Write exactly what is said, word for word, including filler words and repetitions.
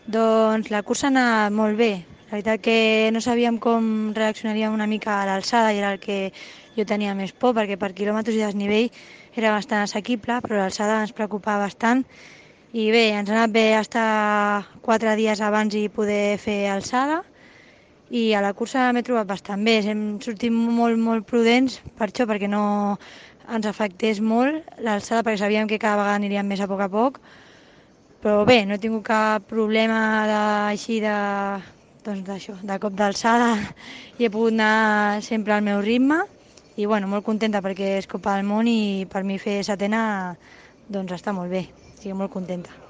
Doncs la cursa ha anat molt bé. La veritat que no sabíem com reaccionaríem una mica a l'alçada i era el que jo tenia més por perquè per quilòmetres i desnivell era bastant assequible, però l'alçada ens preocupava bastant i bé, ens ha anat bé estar quatre dies abans i poder fer alçada i a la cursa m'he trobat bastant bé. Hem sortit molt, molt prudents per això, perquè no ens afectés molt l'alçada, perquè sabíem que cada vegada aniríem més a poc a poc, però bé, no he tingut cap problema de, així de, doncs d'això, de cop d'alçada i he pogut anar sempre al meu ritme i bueno, molt contenta perquè és Copa del Món i per mi fer setena doncs està molt bé, estic molt contenta.